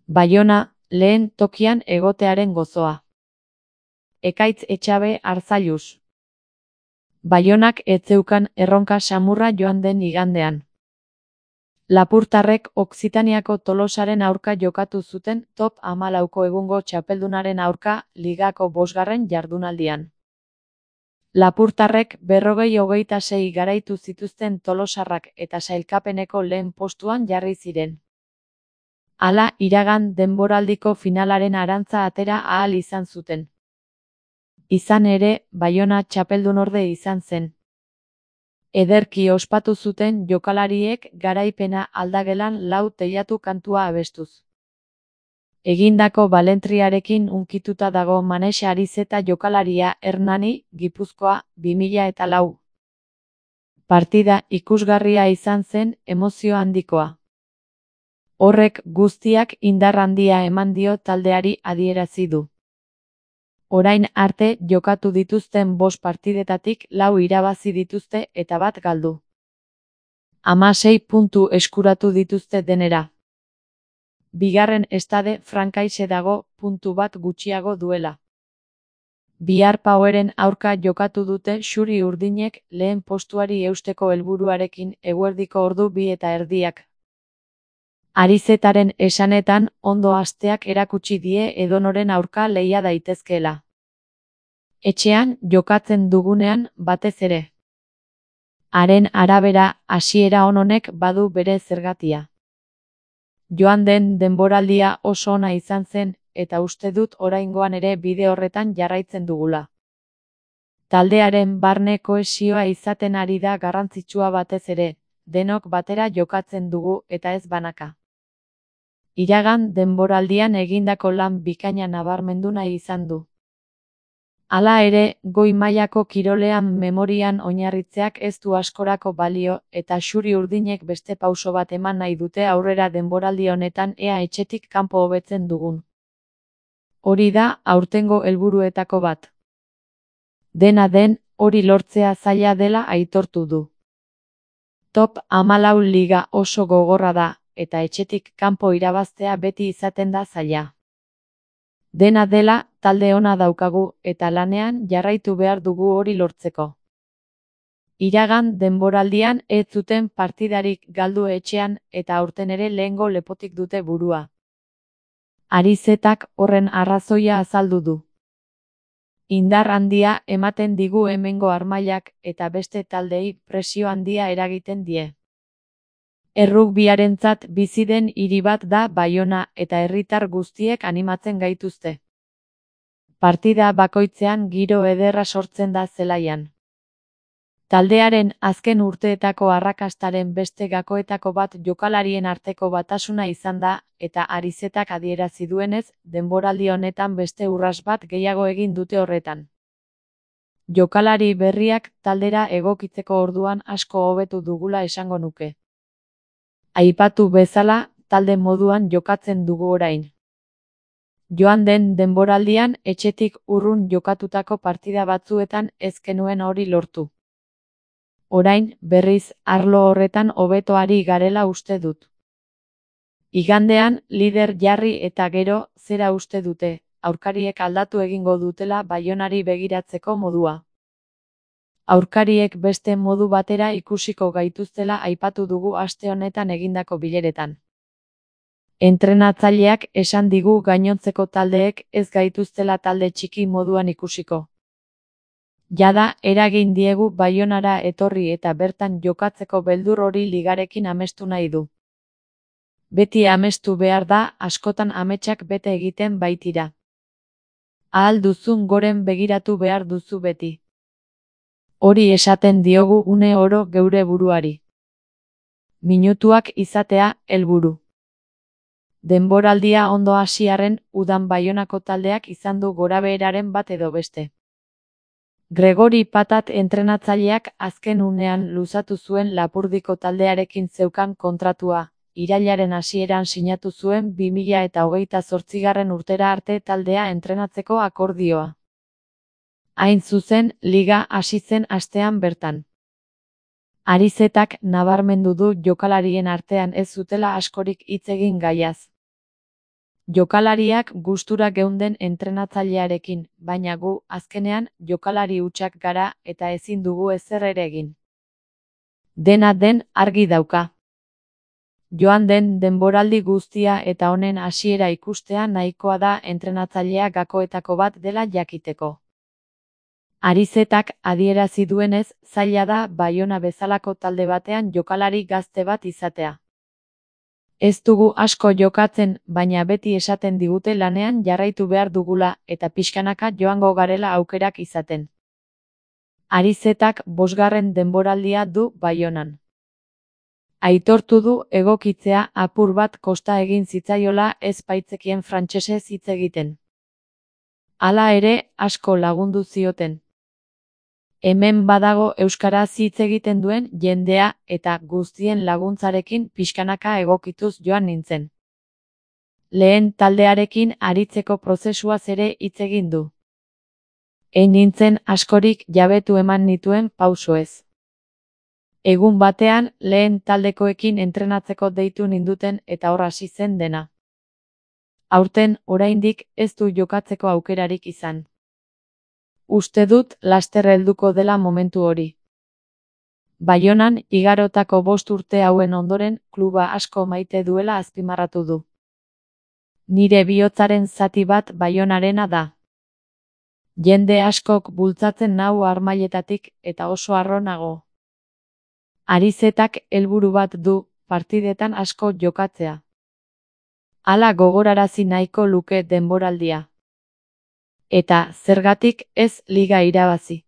Baiona, lehen tokian egotearen gozoa. Ekaitz Etxabe Arzailuz. Baionak ez zeukan erronka samurra joan den igandean. Lapurtarrek Okzitaniako Tolosaren aurka jokatu zuten top 14ko egungo txapeldunaren aurka ligako 5. jardunaldian. Lapurtarrek 40-26 garaitu zituzten tolosarrak eta sailkapeneko lehen postuan jarri ziren. Hala, iragan denboraldiko finalaren arantza atera ahal izan zuten. Izan ere, Baiona txapeldunorde izan zen. Ederki ospatu zuten jokalariek garaipena aldagelan 4 teilatu kantua abestuz. Egindako balentriarekin hunkituta dago Manex Arizeta jokalaria Hernani, Gipuzkoa, 2004. Partida ikusgarria izan zen, emozio handikoa. Horrek guztiak indar handia eman dio taldeari adierazi du. Orain arte jokatu dituzten 5 partidetatik 4 irabazi dituzte eta 1 galdu. 16 puntu eskuratu dituzte denera. Bigarren estade frankaise dago, puntu 1 gutxiago duela. Bihar Poweren aurka jokatu dute xuri urdinek lehen postuari eusteko helburuarekin eguerdiko ordu 2:30. Arizetaren esanetan, ondo hasteak erakutsi die edonoren aurka lehia daitezkeela. Etxean jokatzen dugunean batez ere. Haren arabera, hasiera on honek badu bere zergatia. Joan den denboraldia oso ona izan zen, eta uste dut oraingoan ere bide horretan jarraitzen dugula. Taldearen barne kohesioa izaten ari da garrantzitsua batez ere, denok batera jokatzen dugu eta ez banaka. Iragan denboraldian egindako lan bikaina nabarmendu nahi izan du. Hala ere, goi mailako kirolean memorian oinarritzeak ez du askorako balio eta xuri urdinek beste pauso bat eman nahi dute aurrera denboraldi honetan ea etxetik kanpo hobetzen dugun. Hori da aurtengo helburuetako bat. Dena den, hori lortzea zaila dela aitortu du. Top 14 liga oso gogorra da, eta etxetik kanpo irabaztea beti izaten da zaila. Dena dela, talde ona daukagu, eta lanean jarraitu behar dugu hori lortzeko. Iragan denboraldian ez zuten partidarik galdu etxean eta aurten ere lehengo lepotik dute burua. Arizetak horren arrazoia azaldu du. Indar handia ematen digu hemengo armailak eta beste taldei presio handia eragiten die. Errugbiarentzat bizi den hiri bat da Baiona eta herritar guztiek animatzen gaituzte. Partida bakoitzean giro ederra sortzen da zelaian. Taldearen azken urteetako arrakastaren beste gakoetako bat jokalarien arteko batasuna izan da, eta Arizetak adierazi duenez, denboraldi honetan beste urras bat gehiago egin dute horretan. Jokalari berriak taldera egokitzeko orduan asko hobetu dugula esango nuke. Aipatu bezala, talde moduan jokatzen dugu orain. Joan den denboraldian etxetik urrun jokatutako partida batzuetan ez genuen hori lortu. Orain, berriz, arlo horretan hobeto ari garela uste dut. Igandean, lider jarri eta gero, zera uste dute, aurkariek aldatu egingo dutela Baionari begiratzeko modua. Aurkariek beste modu batera ikusiko gaituztela aipatu dugu aste honetan egindako bileretan. Entrenatzaileak esan digu gainontzeko taldeek ez gaituztela talde txiki moduan ikusiko. Jada, eragin diegu Baionara etorri eta bertan jokatzeko beldur hori ligarekin amestu nahi du. Beti amestu behar da, askotan ametsak bete egiten baitira. Ahal duzun goren begiratu behar duzu beti. Hori esaten diogu une oro geure buruari. Minutuak izatea, helburu. Denboraldia ondo hasiarren, udan Baionako taldeak izan du gorabeheraren bat edo beste. Gregori Patat entrenatzaileak azken unean luzatu zuen Lapurdiko taldearekin zeukan kontratua, irailaren hasieran sinatu zuen 2028 urtera arte taldea entrenatzeko akordioa. Hain zuzen, liga hasi zen astean bertan. Arizetak nabarmendu du jokalarien artean ez zutela askorik hitz egin gaiaz. Jokalariak gustura geunden entrenatzailearekin, baina gu, azkenean, jokalari hutsak gara eta ezin dugu ezer ere egin. Dena den argi dauka. Joan den denboraldi guztia eta honen hasiera ikustea nahikoa da entrenatzailea gakoetako bat dela jakiteko. Arizetak adierazi duenez, zaila da Baiona bezalako talde batean jokalari gazte bat izatea. Ez dugu asko jokatzen, baina beti esaten digute lanean jarraitu behar dugula eta pixkanaka joango garela aukerak izaten. Arizetak 5. denboraldia du Baionan. Aitortu du egokitzea apur bat kosta egin zitzaiola ez baitzekien frantsesez hitz egiten. Hala ere, asko lagundu zioten. Hemen badago euskaraz hitz egiten duen jendea eta guztien laguntzarekin pixkanaka egokituz joan nintzen. Lehen taldearekin aritzeko prozesuaz ere hitz egin du. Ein nintzen askorik jabetu eman nituen pausoez. Egun batean lehen taldekoekin entrenatzeko deitu ninduten eta hor hasi zen dena. Aurten oraindik ez du jokatzeko aukerarik izan. Uste dut laster helduko dela momentu hori. Baionan igarotako 5 urte hauen ondoren kluba asko maite duela azpimarratu du. Nire bihotzaren zati bat Baionarena da. Jende askok bultzatzen nau harmailetatik eta oso harro nago. Arizetak helburu bat du, partidetan asko jokatzea. Hala gogorarazi nahiko luke denboraldia. Eta zergatik ez liga irabazi.